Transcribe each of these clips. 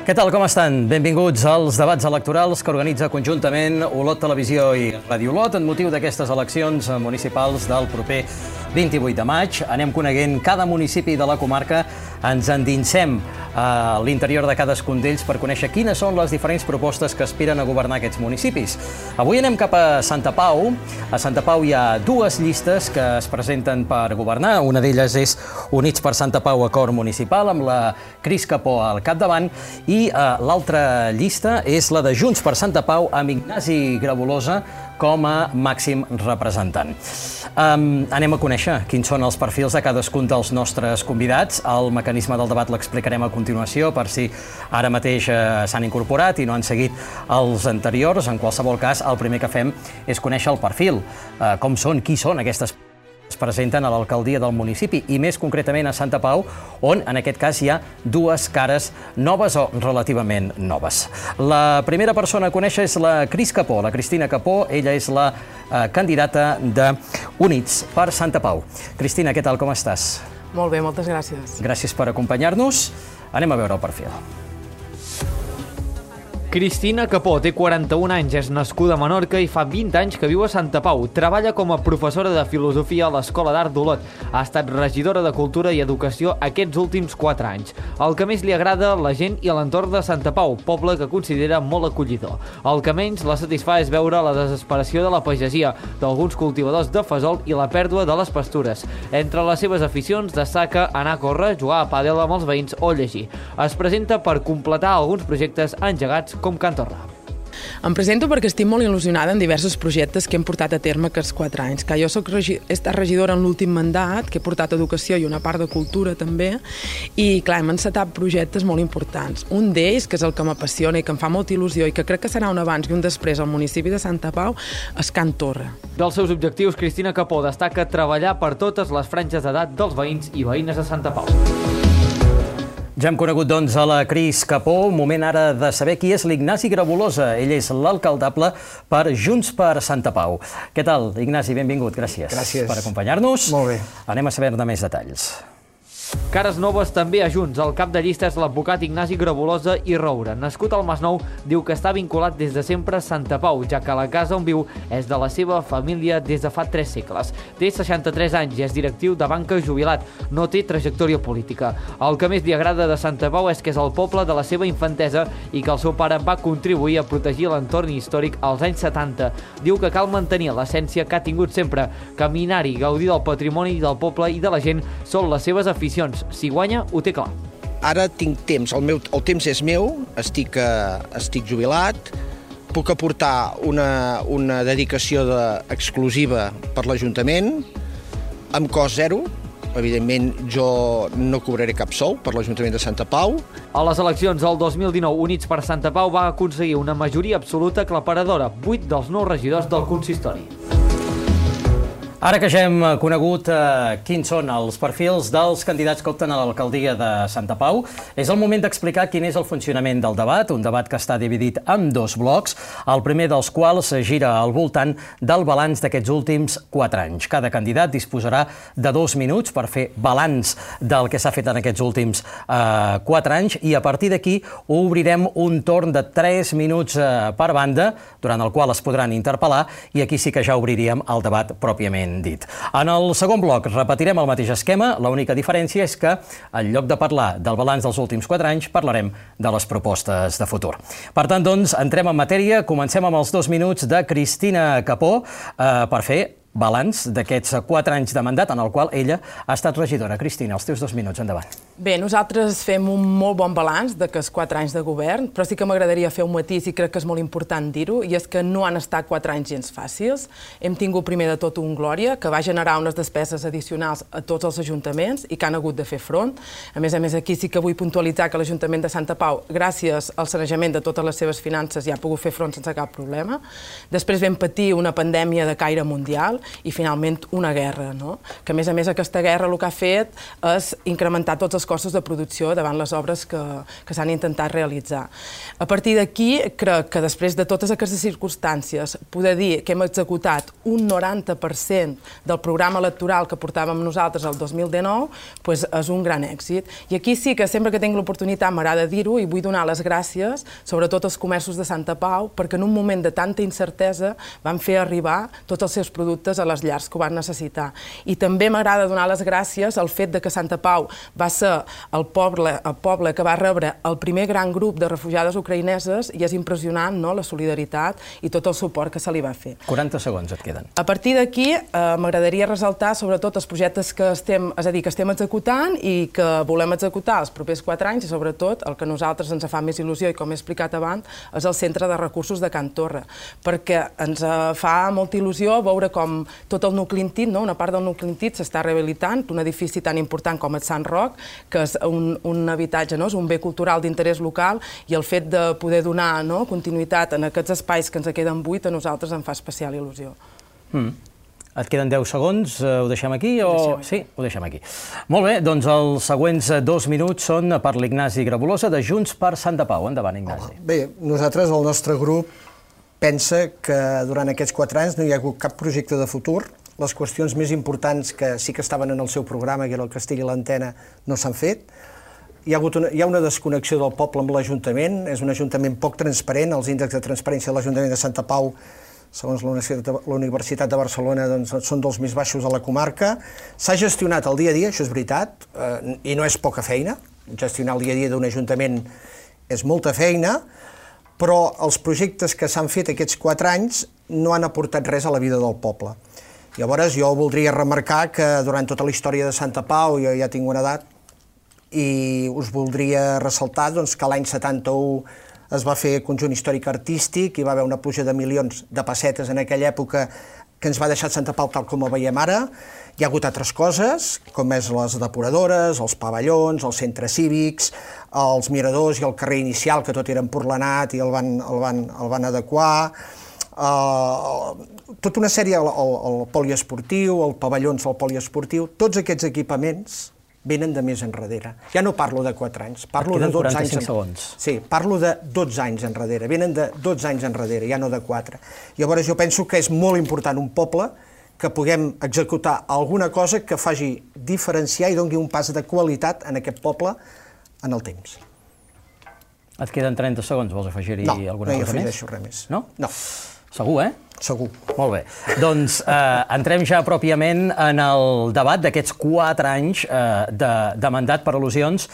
Què tal, com estan? Benvinguts als debats electorals que organitza conjuntament Olot Televisió i Ràdio Olot en motiu d'aquestes eleccions municipals del proper 28 de maig. Anem coneguent cada municipi de la comarca, ens endinsem a l'interior de cadascun d'ells per conèixer quines són les diferents propostes que aspiren a governar aquests municipis. Avui anem cap a Santa Pau. A Santa Pau hi ha dues llistes que es presenten per governar. Una d'elles és Units per Santa Pau Acord Municipal, amb la Cris Capó al capdavant, i l'altra llista és la de Junts per Santa Pau, amb Ignasi Grabolosa com a màxim representant. Anem a conèixer quins són els perfils de cadascun dels nostres convidats. El mecanisme del debat l'explicarem a continuació per si ara mateix s'han incorporat i no han seguit els anteriors. En qualsevol cas, el primer que fem és conèixer el perfil. Com són, qui són aquestes persones es presenten a l'alcaldia del municipi i més concretament a Santa Pau, on en aquest cas hi ha dues cares noves o relativament noves. La primera persona a conèixer és la Cris Capó, la Cristina Capó. Ella és la candidata de Units per Santa Pau. Cristina, què tal, com estàs? Molt bé, moltes gràcies. Gràcies per acompanyar-nos. Anem a veure el perfil. Cristina Capó té 41 anys, és nascuda a Menorca i fa 20 anys que viu a Santa Pau. Treballa com a professora de filosofia a l'Escola d'Art d'Olot. Ha estat regidora de Cultura i Educació aquests últims 4 anys. El que més li agrada la gent i l'entorn de Santa Pau, poble que considera molt acollidor. El que menys la satisfà és veure la desesperació de la pagesia, d'alguns cultivadors de fesol i la pèrdua de les pastures. Entre les seves aficions destaca anar a córrer, jugar a pàdel amb els veïns o llegir. Es presenta per completar alguns projectes engegats com Can Torra. Em presento perquè estic molt il·lusionada en diversos projectes que hem portat a terme aquests 4 anys. Que jo he estat regidora en l'últim mandat, que he portat educació i una part de cultura també, i clar, hem encetat projectes molt importants. Un d'ells, que és el que m'apassiona i que em fa molta il·lusió i que crec que serà un abans i un després al municipi de Santa Pau, és Can Torra. Dels seus objectius, Cristina Capó destaca treballar per totes les franges d'edat dels veïns i veïnes de Santa Pau. Ja hem conegut, doncs, a la Cris Capó. Moment ara de saber qui és l'Ignasi Grabolosa. Ell és l'alcaldable per Junts per Santa Pau. Què tal, Ignasi? Benvingut. Gràcies. Gràcies per acompanyar-nos. Molt bé. Anem a saber-ne més detalls. Cares noves també a Junts. El cap de llista és l'advocat Ignasi Grabolosa i Roura. Nascut al Masnou, diu que està vinculat des de sempre a Santa Pau, ja que la casa on viu és de la seva família des de fa 3 segles. Té 63 anys i és directiu de banca jubilat. No té trajectòria política. El que més li agrada de Santa Pau és que és el poble de la seva infantesa i que el seu pare va contribuir a protegir l'entorn històric als anys 70. Diu que cal mantenir l'essència que ha tingut sempre. Caminar-hi, gaudir del patrimoni del poble i de la gent són les seves aficions. Si guanya, ho té clar. Ara tinc temps, el temps és meu, estic jubilat, puc aportar una dedicació exclusiva per l'Ajuntament, amb cost zero. Evidentment, jo no cobraré cap sou per l'Ajuntament de Santa Pau. A les eleccions del 2019, Units per Santa Pau va aconseguir una majoria absoluta aclaparadora, 8 dels 9 regidors del consistori. Ara que ja hem conegut quins són els perfils dels candidats que opten a l'alcaldia de Santa Pau, és el moment d'explicar quin és el funcionament del debat, un debat que està dividit en 2 blocs, el primer dels quals gira al voltant del balanç d'aquests últims 4 anys. Cada candidat disposarà de 2 minuts per fer balanç del que s'ha fet en aquests últims 4 anys i a partir d'aquí obrirem un torn de 3 minuts per banda, durant el qual es podran interpel·lar, i aquí sí que ja obriríem el debat pròpiament dit. En el segon bloc repetirem el mateix esquema, l'única diferència és que en lloc de parlar del balanç dels últims 4 anys parlarem de les propostes de futur. Per tant, doncs, entrem en matèria, comencem amb els 2 minuts de Cristina Capó per fer balanç d'aquests 4 anys de mandat en el qual ella ha estat regidora. Cristina, els teus 2 minuts, endavant. Bé, nosaltres fem un molt bon balanç d'aquests 4 anys de govern, però sí que m'agradaria fer un matís i crec que és molt important dir-ho, i és que no han estat 4 anys gens fàcils. Hem tingut primer de tot un Glòria, que va generar unes despeses addicionals a tots els ajuntaments i que han hagut de fer front. A més, aquí sí que vull puntualitzar que l'Ajuntament de Santa Pau, gràcies al sanejament de totes les seves finances, ja ha pogut fer front sense cap problema. Després vam patir una pandèmia de caire mundial i finalment una guerra, no? Que a més aquesta guerra el que ha fet és incrementar tots els costos de producció davant les obres que s'han intentat realitzar. A partir d'aquí, crec que després de totes aquestes circumstàncies, poder dir que hem executat un 90% del programa electoral que portàvem nosaltres el 2019, és un gran èxit. I aquí sí que sempre que tinc l'oportunitat m'agrada dir-ho i vull donar les gràcies, sobretot als comerços de Santa Pau, perquè en un moment de tanta incertesa van fer arribar tots els seus productes a les llars que ho van necessitar. I també m'agrada donar les gràcies al fet que Santa Pau va ser el poble que va rebre el primer gran grup de refugiades ucraïneses i és impressionant la solidaritat i tot el suport que se li va fer. 40 segons et queden. A partir d'aquí m'agradaria ressaltar sobretot els projectes que estem executant i que volem executar els propers 4 anys i sobretot el que a nosaltres ens fa més il·lusió i com he explicat abans és el Centre de Recursos de Can Torra, perquè ens fa molta il·lusió veure com tot el nucli antic, una part del nucli antic s'està rehabilitant, un edifici tan important com el Sant Roc, que és un habitatge, és un bé cultural d'interès local i el fet de poder donar continuïtat en aquests espais que ens queden buits a nosaltres em fa especial il·lusió. Et queden 10 segons, ho deixem aquí o...? Sí, ho deixem aquí. Molt bé, doncs els següents 2 minuts són per l'Ignasi Grabolosa de Junts per Santa Pau. Endavant, Ignasi. Bé, nosaltres, el nostre grup, pensa que durant aquests 4 anys no hi ha hagut cap projecte de futur. Les qüestions més importants que sí que estaven en el seu programa, que era el Castell i l'Antena, no s'han fet. Hi ha una desconnexió del poble amb l'Ajuntament, és un Ajuntament poc transparent, els índexs de transparència de l'Ajuntament de Santa Pau, segons la Universitat de Barcelona, són dels més baixos de la comarca. S'ha gestionat el dia a dia, això és veritat, i no és poca feina. Gestionar el dia a dia d'un Ajuntament és molta feina, però els projectes que s'han fet aquests 4 anys no han aportat res a la vida del poble. Llavors, jo voldria remarcar que durant tota la història de Santa Pau, jo ja tinc una edat, i us voldria ressaltar que l'any 71 es va fer conjunt històric artístic, hi va haver una pluja de milions de pessetes en aquella època que ens va deixar Santa Pau tal com ho veiem ara. Hi ha hagut altres coses, com és les depuradores, els pavellons, els centres cívics, els miradors i el carrer inicial, que tot era emporlanat i el van adequar. Tota una sèrie, el poliesportiu, el pavellons del poliesportiu, tots aquests equipaments venen de més enrere. Ja no parlo de 4 anys, parlo de 12 anys. 45 segons. Sí, parlo de 12 anys enrere, venen de 12 anys enrere, ja no de 4. Llavors jo penso que és molt important un poble que puguem executar alguna cosa que faci diferenciar i doni un pas de qualitat en aquest poble en el temps. Et queden 30 segons, vols afegir-hi alguna cosa més? No, no hi afegeixo res més. No? No. Segur, Segur. Molt bé. Doncs entrem ja pròpiament en el debat d'aquests 4 anys de mandat per al·lusions.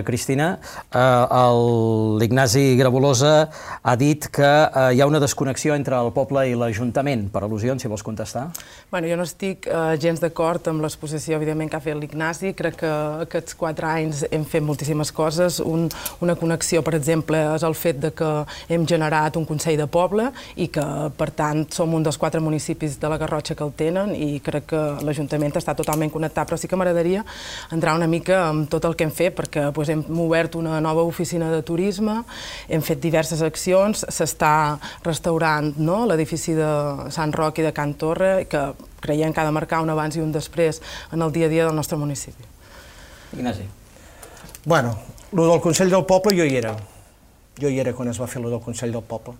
Cristina, l'Ignasi Grabolosa ha dit que hi ha una desconnexió entre el poble i l'Ajuntament. Per al·lusions, si vols contestar. Bueno, jo no estic gens d'acord amb l'exposició, evidentment, que ha fet l'Ignasi. Crec que aquests 4 anys hem fet moltíssimes coses. Una connexió, per exemple, és el fet que hem generat un Consell de Poble i que, per tant, som un dels 4 municipis de la Garrotxa que el tenen i crec que l'Ajuntament està totalment connectat. Però sí que m'agradaria entrar una mica en tot el que hem fet, perquè hem obert una nova oficina de turisme, hem fet diverses accions, s'està restaurant l'edifici de Sant Roc i de Can Torra, que creiem que ha de marcar un abans i un després en el dia a dia del nostre municipi. Ignasi. Bueno, el del Consell del Poble jo hi era. Jo hi era quan es va fer el del Consell del Poble.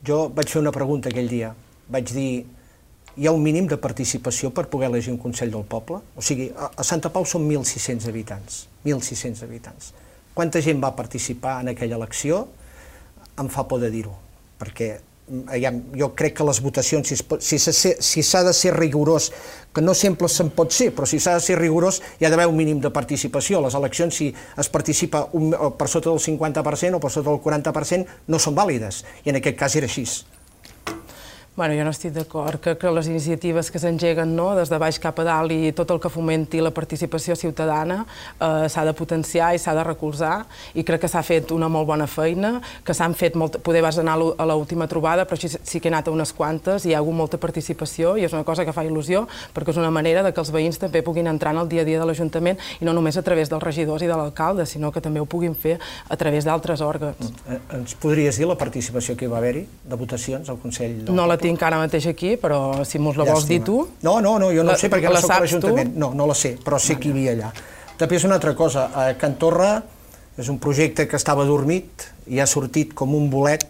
Jo vaig fer una pregunta aquell dia. Vaig dir, hi ha un mínim de participació per poder elegir un Consell del Poble? O sigui, a Santa Pau són 1.600 habitants. 1.600 habitants. Quanta gent va participar en aquella elecció? Em fa por de dir-ho, perquè jo crec que les votacions, si s'ha de ser rigorós, que no sempre se'n pot ser, però si s'ha de ser rigorós hi ha d'haver un mínim de participació. Les eleccions, si es participa per sota del 50% o per sota del 40%, no són vàlides, i en aquest cas era així. Bueno, jo no estic d'acord. Crec que les iniciatives que s'engeguen des de baix cap a dalt i tot el que fomenti la participació ciutadana s'ha de potenciar i s'ha de recolzar i crec que s'ha fet una molt bona feina, que s'han fet, poder vas anar a l'última trobada, però sí que he anat a unes quantes i hi ha hagut molta participació i és una cosa que fa il·lusió perquè és una manera que els veïns també puguin entrar en el dia a dia de l'Ajuntament i no només a través dels regidors i de l'alcalde, sinó que també ho puguin fer a través d'altres òrgans. Ens podries dir la participació que hi va haver-hi de votacions al Consell? No la tinc tinc ara mateix aquí, però si mos la vols dir tu... No, jo no ho sé perquè no soc a l'Ajuntament. No la sé, però sé qui hi havia allà. També és una altra cosa, Can Torra és un projecte que estava dormit i ha sortit com un bolet.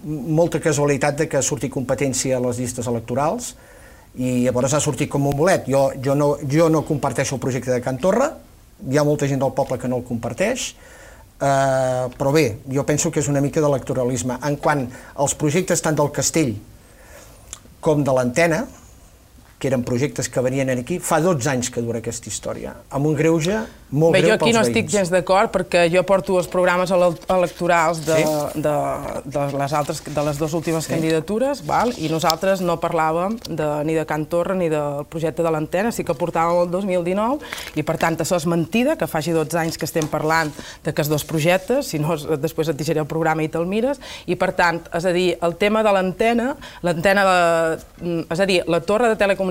Molta casualitat de que surti competència a les llistes electorals i llavors ha sortit com un bolet. Jo no comparteixo el projecte de Can Torra, hi ha molta gent del poble que no el comparteix, però bé, jo penso que és una mica d'electoralisme. En quant als projectes tant del Castell com de l'Antena, que eren projectes que venien aquí, fa 12 anys que dura aquesta història, amb un greuge molt greu pels veïns. Jo aquí no estic gens d'acord, perquè jo porto els programes electorals de les dues últimes candidatures, i nosaltres no parlàvem ni de Can Torra ni del projecte de l'Antena, sí que portàvem el 2019, i per tant això és mentida, que faci 12 anys que estem parlant d'aquests dos projectes, si no després et deixaré el programa i te'l mires, i per tant, és a dir, el tema de l'Antena, és a dir, la torre de telecomunicacions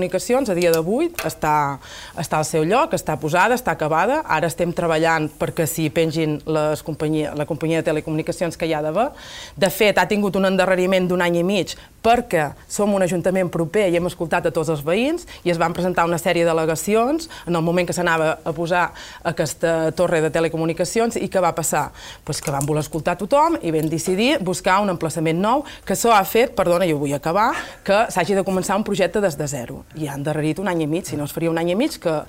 a dia d'avui està al seu lloc, està posada, està acabada. Ara estem treballant perquè s'hi pengin la companyia de telecomunicacions que hi ha d'haver. De fet, ha tingut un endarreriment d'1 any i mig perquè som un ajuntament proper i hem escoltat a tots els veïns i es van presentar una sèrie d'al·legacions en el moment que s'anava a posar aquesta torre de telecomunicacions i què va passar? Que van voler escoltar tothom i vam decidir buscar un emplaçament nou, que això ha fet, perdona, jo vull acabar, que s'hagi de començar un projecte des de zero. I han endarrerit 1 any i mig, si no es faria 1 any i mig, que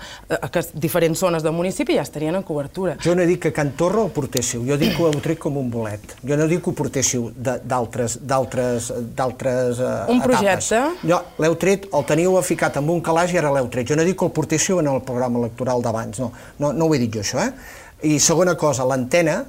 diferents zones del municipi ja estarien en cobertura. Jo no dic que Can Torra ho portéssiu, jo dic que ho heu tret com un bolet. Jo no dic que ho portéssiu d'altres un projecte? L'heu tret, el teníeu ficat amb un calaix i ara l'heu tret. Jo no dic que el portéssiu en el programa electoral d'abans, no ho he dit jo, això. I segona cosa, l'antena,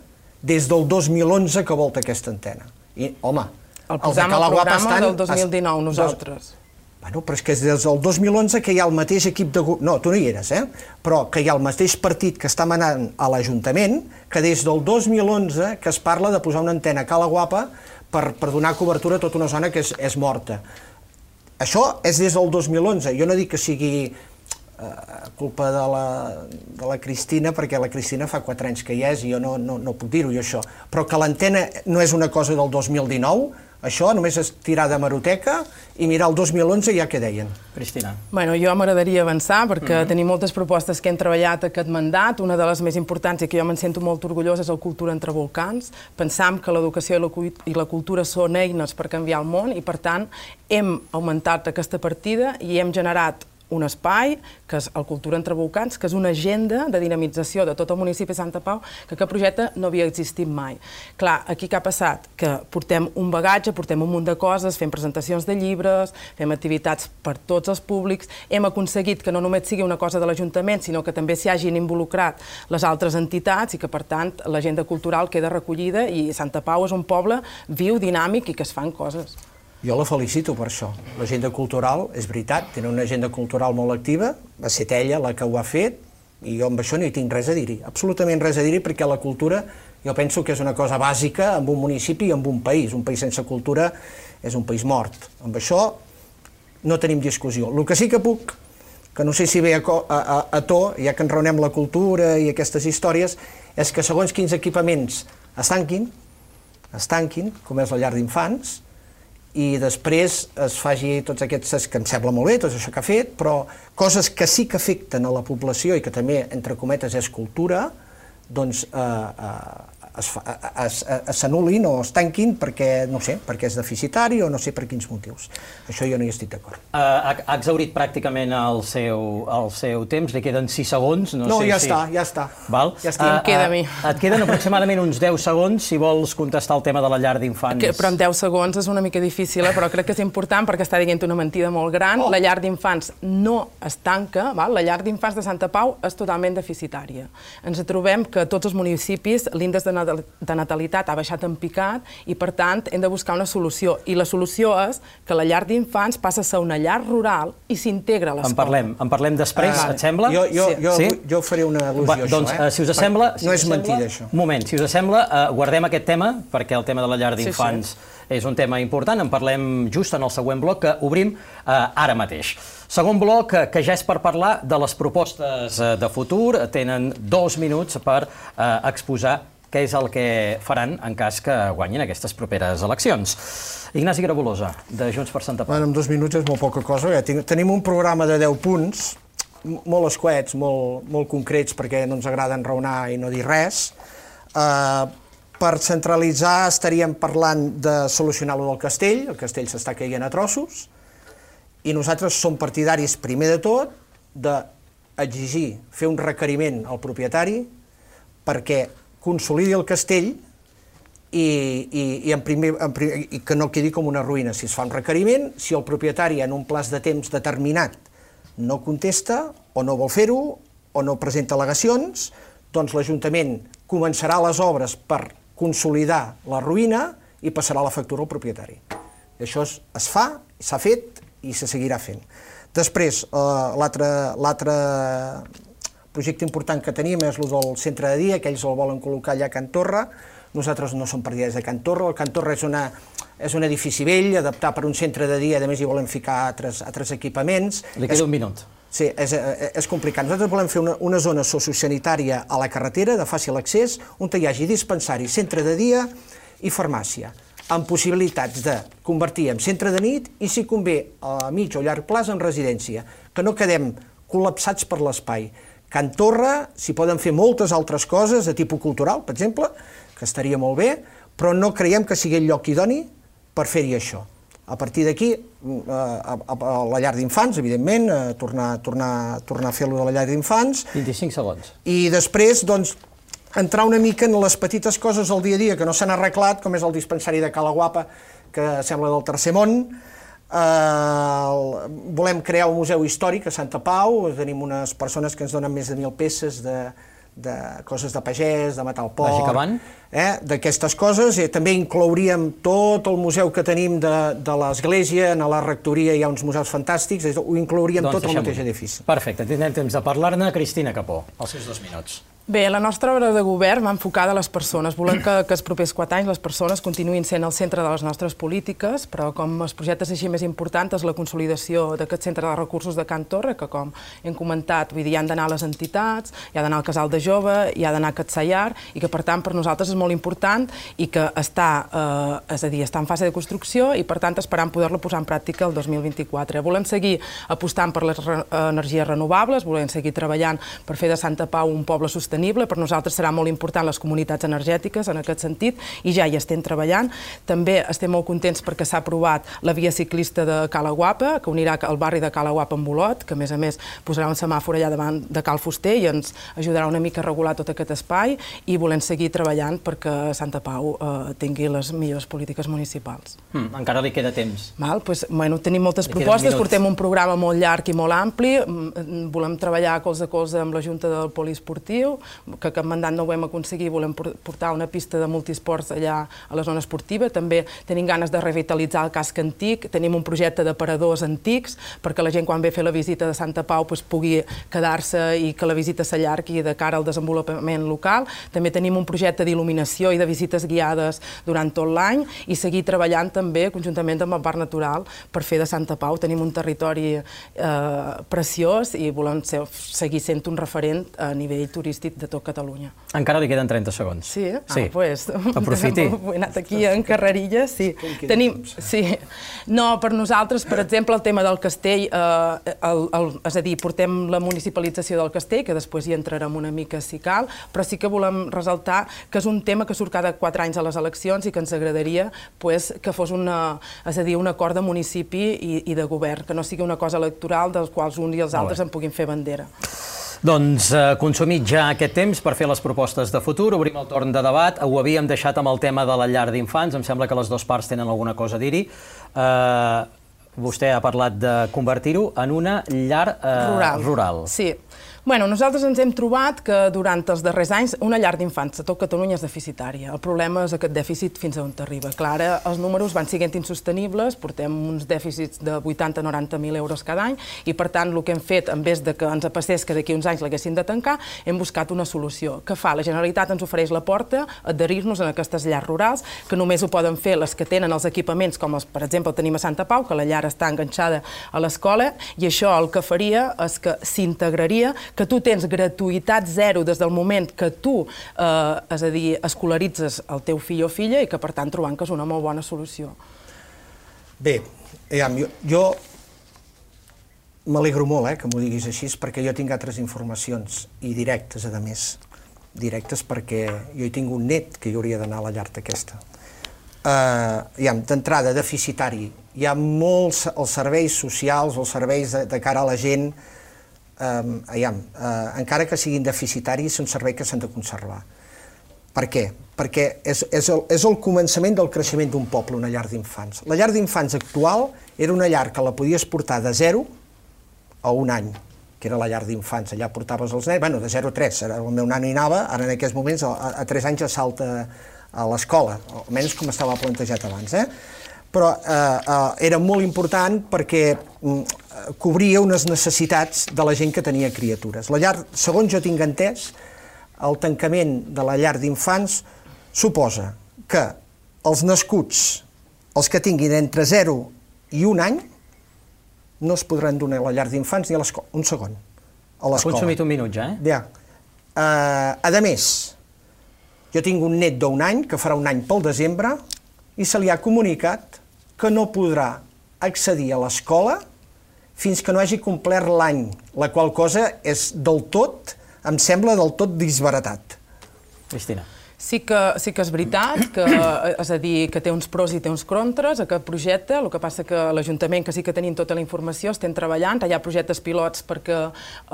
des del 2011 que volta aquesta antena. I, home, el posam al programa del 2019, nosaltres. Bueno, però és que és des del 2011 que hi ha el mateix equip de... No, tu no hi eres, però que hi ha el mateix partit que està manant a l'Ajuntament que des del 2011 que es parla de posar una antena a Cala Guapa per donar cobertura a tota una zona que és morta. Això és des del 2011. Jo no dic que sigui culpa de la Cristina, perquè la Cristina fa 4 anys que hi és i jo no puc dir-ho, això. Però que l'antena no és una cosa del 2019, això només és tirar de hemeroteca i mirar el 2011 ja què deien. Cristina. Jo m'agradaria avançar perquè tenim moltes propostes que hem treballat aquest mandat. Una de les més importants i que jo me'n sento molt orgullosa és el Cultura entre volcans. Pensam que l'educació i la cultura són eines per canviar el món i, per tant, hem augmentat aquesta partida i hem generat un espai, que és el Cultura entre volcans, que és una agenda de dinamització de tot el municipi de Santa Pau, que aquest projecte no havia existit mai. Clar, aquí què ha passat? Que portem un bagatge, portem un munt de coses, fem presentacions de llibres, fem activitats per tots els públics, hem aconseguit que no només sigui una cosa de l'Ajuntament, sinó que també s'hi hagin involucrat les altres entitats i que, per tant, l'agenda cultural queda recollida i Santa Pau és un poble viu, dinàmic i que es fan coses. Jo la felicito per això. L'agenda cultural, és veritat, tenen una agenda cultural molt activa, va ser ella la que ho ha fet, i jo amb això no hi tinc res a dir-hi, absolutament res a dir-hi, perquè la cultura jo penso que és una cosa bàsica en un municipi i en un país. Un país sense cultura és un país mort. Amb això no tenim discussió. El que sí que puc, que no sé si ve a to, ja que enraonem la cultura i aquestes històries, és que segons quins equipaments es tanquin, com és la llar d'infants, i després es faci tots aquests, que em sembla molt bé, tot això que ha fet, però coses que sí que afecten a la població i que també, entre cometes, és cultura, doncs s'anul·lin o es tanquin perquè, no sé, perquè és deficitari o no sé per quins motius. Això jo no hi estic d'acord. Ha exhaurit pràcticament el seu temps, li queden 6 segons. No, ja està. Em queda a mi. Et queden aproximadament uns 10 segons si vols contestar el tema de la llar d'infants. Però en 10 segons és una mica difícil, però crec que és important perquè està dient una mentida molt gran. La llar d'infants no es tanca, la llar d'infants de Santa Pau és totalment deficitària. Ens trobem que tots els municipis l'índex de natalitat ha baixat en picat i, per tant, hem de buscar una solució. I la solució és que la llar d'infants passa a ser una llar rural i s'integra a l'escola. En parlem després, et sembla? Jo faré una al·lusió a això. Doncs, si us sembla... No és mentida, això. Un moment, si us sembla, guardem aquest tema, perquè el tema de la llar d'infants és un tema important. En parlem just en el següent bloc, que obrim ara mateix. Segon bloc, que ja és per parlar de les propostes de futur. Tenen 2 minuts per exposar què és el que faran en cas que guanyin aquestes properes eleccions. Ignasi Grabolosa, de Junts per Santa Pau. En 2 minuts és molt poca cosa. Tenim un programa de 10 punts, molt escuets, molt concrets, perquè no ens agrada enraonar i no dir res. Per centralitzar estaríem parlant de solucionar-lo del castell, el castell s'està caient a trossos, i nosaltres som partidaris, primer de tot, d'exigir, fer un requeriment al propietari perquè consolidi el castell i que no quedi com una ruïna. Si es fa un requeriment, si el propietari en un plaç de temps determinat no contesta o no vol fer-ho o no presenta al·legacions, doncs l'Ajuntament començarà les obres per consolidar la ruïna i passarà la factura al propietari. Això es fa, s'ha fet i se seguirà fent. Després, l'altre projecte important que tenim és el del centre de dia, que ells el volen col·locar allà a Can Torra. Nosaltres no som partidaris de Can Torra. El Can Torra és un edifici vell, adaptat per un centre de dia, a més hi volem ficar altres equipaments. Li queda un minut. Sí, és complicat. Nosaltres volem fer una zona sociosanitària a la carretera, de fàcil accés, on hi hagi dispensari, centre de dia i farmàcia, amb possibilitats de convertir en centre de nit i, si convé, a mig o llarg plaç, en residència, que no quedem col·lapsats per l'espai. Can Torra s'hi poden fer moltes altres coses, de tipus cultural, per exemple, que estaria molt bé, però no creiem que sigui el lloc idoni per fer-hi això. A partir d'aquí, a la llar d'infants, evidentment, tornar a fer-lo de la llar d'infants. 25 segons. I després, doncs, entrar una mica en les petites coses del dia a dia que no s'han arreglat, com és el dispensari de Cala Guapa, que sembla del tercer món. Volem crear un museu històric a Santa Pau, tenim unes persones que ens donen més de 1.000 peces de coses de pagès, de matar el porc, d'aquestes coses. També inclouríem tot el museu que tenim de l'església, a la rectoria hi ha uns museus fantàstics, ho inclouríem tot al mateix edifici. Perfecte, tindrem temps de parlar-ne. Cristina Capó, els seus 2 minuts. Bé, la nostra obra de govern va enfocada a les persones. Volem que els propers 4 anys les persones continuïn sent el centre de les nostres polítiques, però com els projectes així més importants és la consolidació d'aquest centre de recursos de Can Torra, que com hem comentat, hi han d'anar les entitats, hi ha d'anar el casal de jove, hi ha d'anar aquest Sayar, i que per tant per nosaltres és molt important i que està en fase de construcció i per tant esperant poder-la posar en pràctica el 2024. Volem seguir apostant per les energies renovables, volem seguir treballant per fer de Santa Pau un poble sostenible. Per nosaltres serà molt important les comunitats energètiques en aquest sentit i ja hi estem treballant. També estem molt contents perquè s'ha aprovat la via ciclista de Cala Guapa, que unirà el barri de Cala Guapa amb Olot, que a més posarà un semàfor allà davant de Cal Fuster i ens ajudarà una mica a regular tot aquest espai i volem seguir treballant perquè Santa Pau tingui les millors polítiques municipals. Encara li queda temps. Tenim moltes propostes, portem un programa molt llarg i molt ampli, volem treballar colze a colze amb la Junta del Poliesportiu, que cap mandat no ho vam aconseguir, volem portar una pista de multisports allà a la zona esportiva, també tenim ganes de revitalitzar el casc antic, tenim un projecte d'aparadors antics, perquè la gent quan ve a fer la visita de Santa Pau pugui quedar-se i que la visita s'allargui de cara al desenvolupament local. També tenim un projecte d'il·luminació i de visites guiades durant tot l'any i seguir treballant també conjuntament amb el Parc Natural per fer de Santa Pau. Tenim un territori preciós i volem seguir sent un referent a nivell turístic de tot Catalunya. Encara li queden 30 segons. Sí? Doncs... Aprofiti. He anat aquí en carrerilla, sí. No, per nosaltres, per exemple, el tema del castell, és a dir, portem la municipalització del castell, que després hi entrarem una mica si cal, però sí que volem ressaltar que és un tema que surt cada 4 anys a les eleccions i que ens agradaria que fos un acord de municipi i de govern, que no sigui una cosa electoral dels quals uns i els altres en puguin fer bandera. Doncs consumit ja aquest temps per fer les propostes de futur, obrim el torn de debat. Ho havíem deixat amb el tema de la llar d'infants, em sembla que les dues parts tenen alguna cosa a dir-hi. Vostè ha parlat de convertir-ho en una llar rural. Sí. Nosaltres ens hem trobat que durant els darrers anys una llar d'infants a tot Catalunya és deficitària. El problema és aquest dèficit fins a on arriba. Clar, els números van sent insostenibles, portem uns dèficits de 80-90.000 euros cada any i, per tant, el que hem fet, en vez de que ens passés que d'aquí uns anys l'haguessin de tancar, hem buscat una solució. Què fa? La Generalitat ens ofereix la porta a adherir-nos en aquestes llars rurals, que només ho poden fer les que tenen els equipaments, com per exemple tenim a Santa Pau, que la llar està enganxada a l'escola, i això el que faria és que s'integraria que tu tens gratuïtat zero des del moment que tu, és a dir, escolaritzes el teu fill o filla i que, per tant, trobant que és una molt bona solució. Bé, jo m'alegro molt que m'ho diguis així, perquè jo tinc altres informacions, i directes, a més. Directes perquè jo hi tinc un net que hi hauria d'anar a la llar aquesta. D'entrada, deficitari. Hi ha molts els serveis socials, els serveis de cara a la gent, encara que siguin deficitaris, és un servei que s'han de conservar. Per què? Perquè és el començament del creixement d'un poble, una llar d'infants. La llar d'infants actual era una llar que la podies portar de 0 a 1 any, que era la llar d'infants. Allà portaves els nens, de 0 a 3, el meu nano hi anava, ara en aquests moments a 3 anys ja salta a l'escola, almenys com estava plantejat abans. Però era molt important perquè cobria unes necessitats de la gent que tenia criatures. La llar, segons jo tinc entès, el tancament de la llar d'infants suposa que els nascuts, els que tinguin entre 0 i 1 any, no es podran donar a la llar d'infants ni a l'escola. Un segon. A l'escola. Ha consumit un minut ja, Ja. A més, jo tinc un net d'1 any, que farà 1 any pel desembre, i se li ha comunicat que no podrà accedir a l'escola fins que no hagi complert l'any, la qual cosa és del tot, em sembla del tot disbaratat. Cristina. Sí que és veritat, és a dir, que té uns pros i té uns contres, aquest projecte. El que passa que l'Ajuntament, que sí que tenim tota la informació, estem treballant, hi ha projectes pilots perquè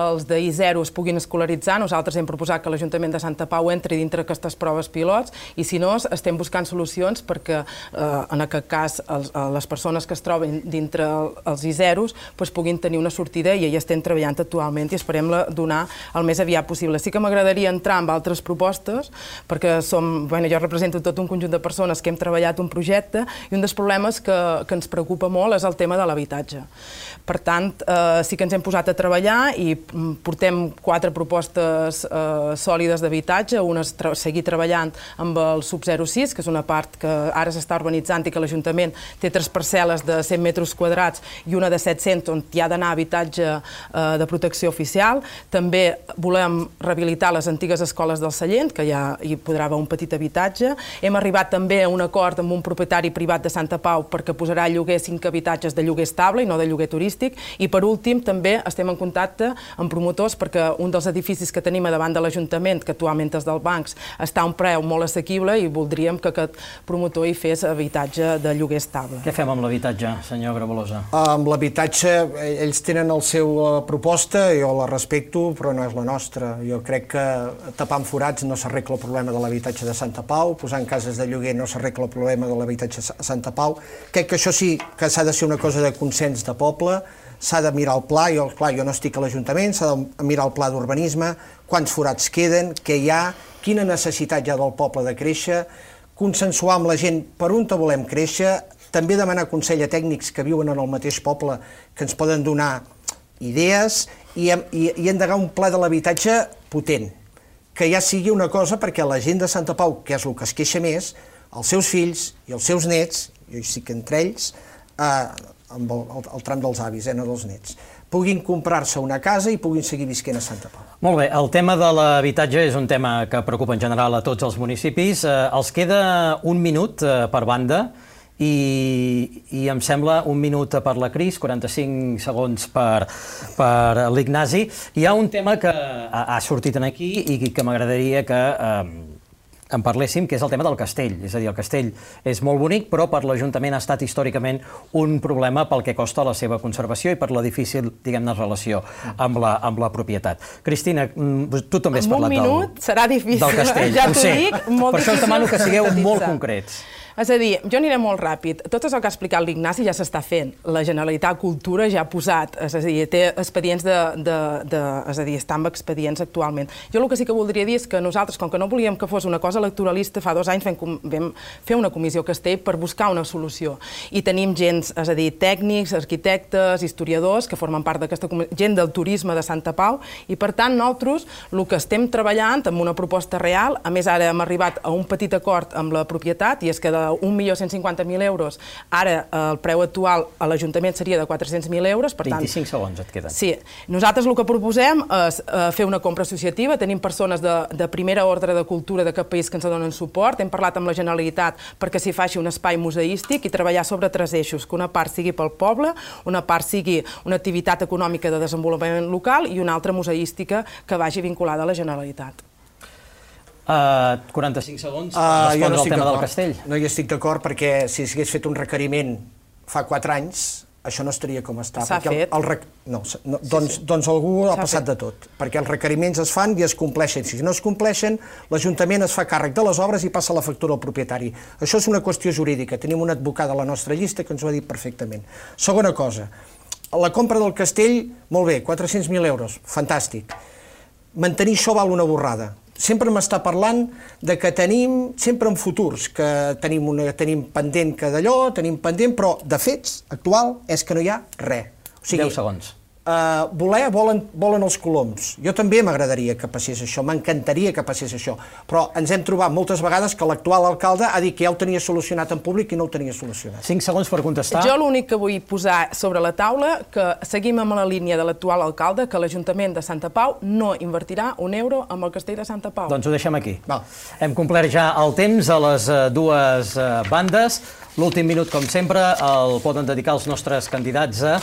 els d'I0 es puguin escolaritzar. Nosaltres hem proposat que l'Ajuntament de Santa Pau entri dintre aquestes proves pilots i, si no, estem buscant solucions perquè, en aquest cas, les persones que es troben dintre els I0s puguin tenir una sortida, i hi estem treballant actualment i esperem donar el més aviat possible. Sí que m'agradaria entrar en altres propostes, perquè jo represento tot un conjunt de persones que hem treballat un projecte, i un dels problemes que ens preocupa molt és el tema de l'habitatge. Per tant, sí que ens hem posat a treballar i portem 4 propostes sòlides d'habitatge. Una és seguir treballant amb el sub 06, que és una part que ara s'està urbanitzant i que l'Ajuntament té 3 parcel·les de 100 metres quadrats i una de 700 on hi ha d'anar habitatge de protecció oficial. També volem rehabilitar les antigues escoles del Sallent, que ja hi podrà haver un petit habitatge. Hem arribat també a un acord amb un propietari privat de Santa Pau perquè posarà a lloguer 5 habitatges de lloguer estable i no de lloguer turístic. I, per últim, també estem en contacte amb promotors perquè un dels edificis que tenim a davant de l'Ajuntament, que actualment és dels bancs, està a un preu molt assequible i voldríem que aquest promotor hi fes habitatge de lloguer estable. Què fem amb l'habitatge, senyor Grabolosa? Amb l'habitatge, ells tenen la seva proposta, jo la respecto, però no és la nostra. Jo crec que tapant forats no s'arregla el problema de l'habitatge de Santa Pau, posant cases de lloguer no s'arregla el problema de l'habitatge a Santa Pau. Crec que això sí que s'ha de ser una cosa de consens de poble, s'ha de mirar el pla, jo no estic a l'Ajuntament, s'ha de mirar el pla d'urbanisme, quants forats queden, què hi ha, quina necessitat hi ha del poble de créixer, consensuar amb la gent per on volem créixer, també demanar consell a tècnics que viuen en el mateix poble que ens poden donar idees i endegar un pla de l'habitatge potent, que ja sigui una cosa perquè la gent de Santa Pau, que és el que es queixa més, els seus fills i els seus nets, jo hi estic entre ells, amb el tram dels avis, no dels nets, puguin comprar-se una casa i puguin seguir visquent a Santa Pau. Molt bé, el tema de l'habitatge és un tema que preocupa en general a tots els municipis. Els queda un minut per banda i em sembla un minut per la Cris, 45 segons per l'Ignasi. Hi ha un tema que ha sortit aquí i que m'agradaria que en parléssim, que és el tema del castell. És a dir, el castell és molt bonic, però per l'Ajuntament ha estat històricament un problema pel que costa la seva conservació i per la difícil, diguem-ne, relació amb la propietat. Cristina, tu també has parlat del castell. En un minut serà difícil, ja t'ho dic, molt difícil. Per això us demano que sigueu molt concrets. És a dir, jo aniré molt ràpid. Tot això que ha explicat l'Ignasi ja s'està fent. La Generalitat Cultura ja ha posat, és a dir, té expedients és a dir, està amb expedients actualment. Jo el que sí que voldria dir és que nosaltres, com que no volíem que fos una cosa electoralista, fa 2 anys vam fer una comissió Castell per buscar una solució. I tenim gent, és a dir, tècnics, arquitectes, historiadors, que formen part d'aquesta comissió, gent del turisme de Santa Pau, i per tant nosaltres el que estem treballant amb una proposta real, a més ara hem arribat a un petit acord amb la propietat, i és que 1.150.000 euros, ara el preu actual a l'Ajuntament seria de 400.000 euros. 25 segons et queden. Sí. Nosaltres el que proposem és fer una compra associativa. Tenim persones de primera ordre de cultura d'aquest país que ens donen suport. Hem parlat amb la Generalitat perquè s'hi faci un espai museístic i treballar sobre 3 eixos, que una part sigui pel poble, una part sigui una activitat econòmica de desenvolupament local i una altra museística que vagi vinculada a la Generalitat. 45 segons per respondre al tema del castell. No hi estic d'acord perquè si s'hagués fet un requeriment fa 4 anys, això no estaria com està. S'ha fet. Doncs algú ha passat de tot, perquè els requeriments es fan i es compleixen. Si no es compleixen, l'Ajuntament es fa càrrec de les obres i passa la factura al propietari. Això és una qüestió jurídica. Tenim una advocada a la nostra llista que ens ho ha dit perfectament. Segona cosa, la compra del castell, molt bé, 400.000 euros, fantàstic. Mantenir això val una borrada. Sempre m'està parlant de que tenim, sempre en futurs, que tenim pendent que d'allò, tenim pendent, però de fets, actual, és que no hi ha res. 10 segons. Volen els coloms. Jo també m'agradaria que passés això, m'encantaria que passés això, però ens hem trobat moltes vegades que l'actual alcalde ha dit que ja ho tenia solucionat en públic i no ho tenia solucionat. 5 segons per contestar. Jo l'únic que vull posar sobre la taula que seguim amb la línia de l'actual alcalde, que l'Ajuntament de Santa Pau no invertirà un euro amb el castell de Santa Pau. Doncs ho deixem aquí. Hem complert ja el temps a les dues bandes. L'últim minut, com sempre, el poden dedicar els nostres candidats a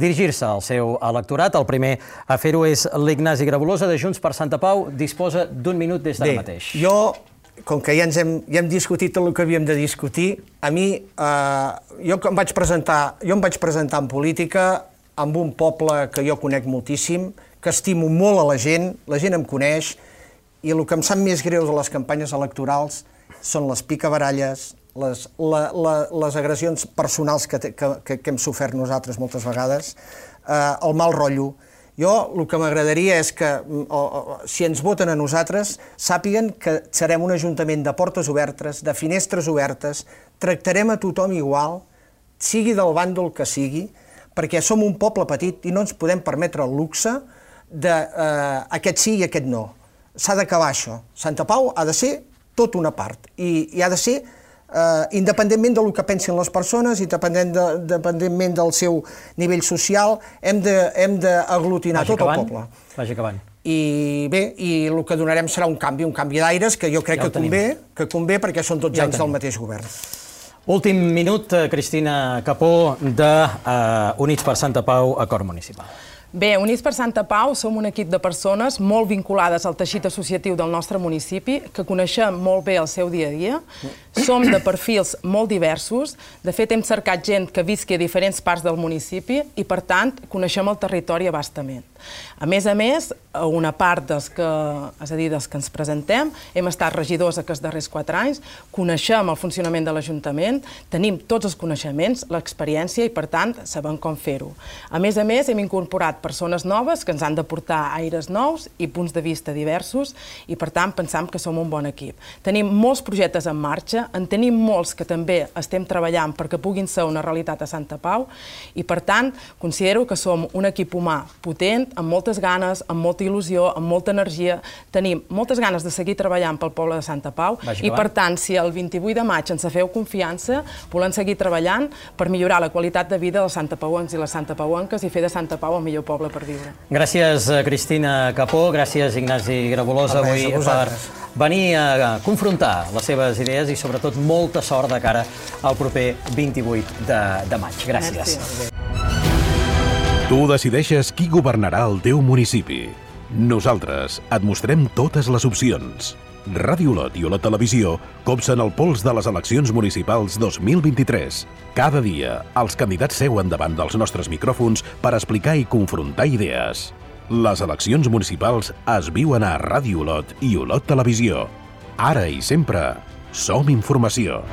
dirigir-se al seu electorat. El primer a fer-ho és l'Ignasi Grabolosa, de Junts per Santa Pau. Disposa d'1 minut des d'ara mateix. Bé, jo, com que ja hem discutit tot el que havíem de discutir, a mi, jo em vaig presentar en política amb un poble que jo conec moltíssim, que estimo molt a la gent em coneix, i el que em sap més greu de les campanyes electorals són les picabaralles, les agressions personals que hem sofert nosaltres moltes vegades, el mal rotllo. Jo el que m'agradaria és que, si ens voten a nosaltres, sàpiguen que serem un ajuntament de portes obertes, de finestres obertes, tractarem a tothom igual, sigui del bàndol que sigui, perquè som un poble petit i no ens podem permetre el luxe d'aquest sí i aquest no. S'ha d'acabar això. Santa Pau ha de ser tot una part i ha de ser independentment del que pensin les persones, independentment del seu nivell social, hem d'aglutinar tot el poble. Vagi acabant. I bé, el que donarem serà un canvi d'aires que jo crec que convé perquè són 12 anys del mateix govern. Últim minut, Cristina Capó, de Units per Santa Pau, Acord Municipal. Bé, Units per Santa Pau som un equip de persones molt vinculades al teixit associatiu del nostre municipi, que coneixem molt bé el seu dia a dia. Som de perfils molt diversos. De fet, hem cercat gent que visqui a diferents parts del municipi i, per tant, coneixem el territori a bastament. A més, una part dels que ens presentem, hem estat regidors aquests darrers 4 anys, coneixem el funcionament de l'Ajuntament, tenim tots els coneixements, l'experiència i, per tant, sabem com fer-ho. A més, hem incorporat persones noves que ens han de portar aires nous i punts de vista diversos i, per tant, pensam que som un bon equip. Tenim molts projectes en marxa, en tenim molts que també estem treballant perquè puguin ser una realitat a Santa Pau i, per tant, considero que som un equip humà potent, amb moltes ganes, amb molta il·lusió, amb molta energia. Tenim moltes ganes de seguir treballant pel poble de Santa Pau i, per tant, si el 28 de maig ens feu confiança, volem seguir treballant per millorar la qualitat de vida dels santapauencs i les santapauenques i fer de Santa Pau el millor poble per viure. Gràcies, Cristina Capó, gràcies, Ignasi Grabolosa, avui per venir a confrontar les seves idees i, sobretot, molta sort de cara al proper 28 de maig. Gràcies. Tu decideixes qui governarà el teu municipi. Nosaltres et mostrem totes les opcions. Ràdio Olot i Olot Televisió copsen el pols de les eleccions municipals 2023. Cada dia, els candidats seuen davant dels nostres micròfons per explicar i confrontar idees. Les eleccions municipals es viuen a Ràdio Olot i Olot Televisió. Ara i sempre, som informació.